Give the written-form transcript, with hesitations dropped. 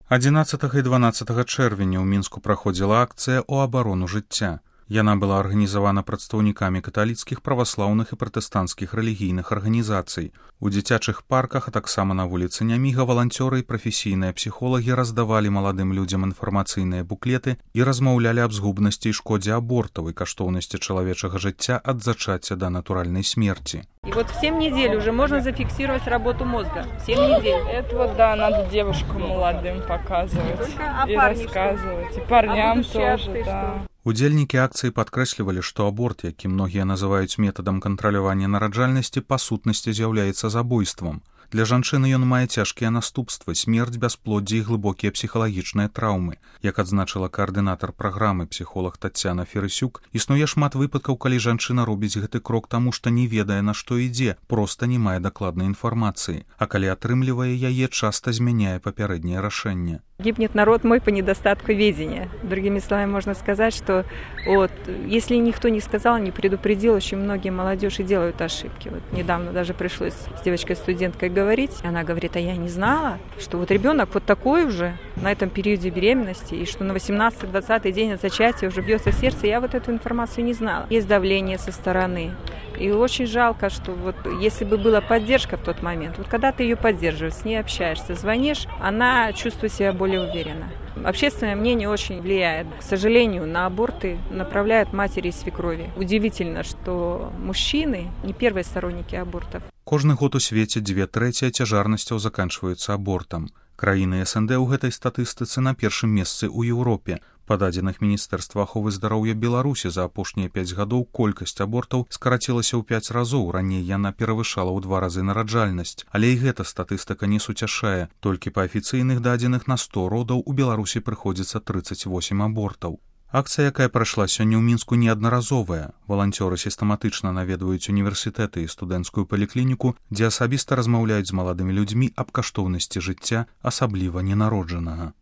11 і 12 чэрвеня ў Мінску праходзіла акцыя «У абарону жыцця». Яна была арганізавана прадстаўнікамі каталіцкіх, праваслаўных і пратэстанцкіх рэлігійных арганізацый. У дзіцячых парках, а таксама на вуліцы Няміга валанцёры і прафесійныя псіхолагі раздавалі маладым людзям інфармацыйныя буклеты і размаўлялі аб згубнасці і шкодзе абортаў і каштоўнасці чалавечага жыцця ад зачацця да натуральнай смерти. И вот в 7 недель уже можно зафиксировать работу мозга. 7 недель. Это вот, да, надо девушкам молодым показывать и рассказывать. И парням тоже, да. Удзельнікі акцыі падкрэслівалі, што аборт, які многія называюць метадам кантралявання нараджальнасці, па сутнасці з'яўляецца забойствам. Для жанчыны ён мае цяжкія наступствы, смерць, бясплоддзе і глыбокія псіхалагічныя траўмы. Як адзначыла каардынатар праграмы псіхолог Таццяна Ферысюк, існуе шмат выпадкаў, калі жанчына робіць гэты крок таму, што не ведае, на што ідзе, проста не мае дакладнай інфармацыі, а калі атрымлівае яе, часта змяняе папярэдняе рашэнне. Гибнет народ мой по недостатку ведения. Другими словами, можно сказать, что вот, если никто не сказал, не предупредил, очень многие молодежи делают ошибки. Вот недавно даже пришлось с девочкой-студенткой говорить. Она говорит, а я не знала, что вот ребенок вот такой уже на этом периоде беременности, и что на 18-20 день от зачатия уже бьется сердце. Я вот эту информацию не знала. Есть давление со стороны. И очень жалко, что вот если бы была поддержка в тот момент, вот когда ты ее поддерживаешь, с ней общаешься, звонишь, она чувствует себя более уверенно. Общественное мнение очень влияет. К сожалению, на аборты направляют матери и свекрови. Удивительно, что мужчины не первые сторонники абортов. Кожны год у свеце 2/3 цяжарнасцяў заканчваюцца абортам. Краіны СНД ў гэтай статыстыцы на першым месцы ў Еўропе. Па дадзеных Міністэрства аховы здароўя Беларусі за апошнія 5 гадоў колькасць абортаў скарацілася ў 5 разоў, раней яна перавышала ў 2 разы нараджальнасць. Але і гэта статыстыка не суцяшае. Толькі па афіцыйных дадзеных на 100 родаў у Беларусі прыходзіцца 38 абортаў. Акцыя, якая прайшла сёння ў Мінску, неаднаразовая. Валанцёры сістэматычна наведваюць універсітэты і студэнцкую паліклініку, дзе асабіста размаўляюць з маладымі людзьмі аб каштоўнасці жыцця, асабліва ненароджанага.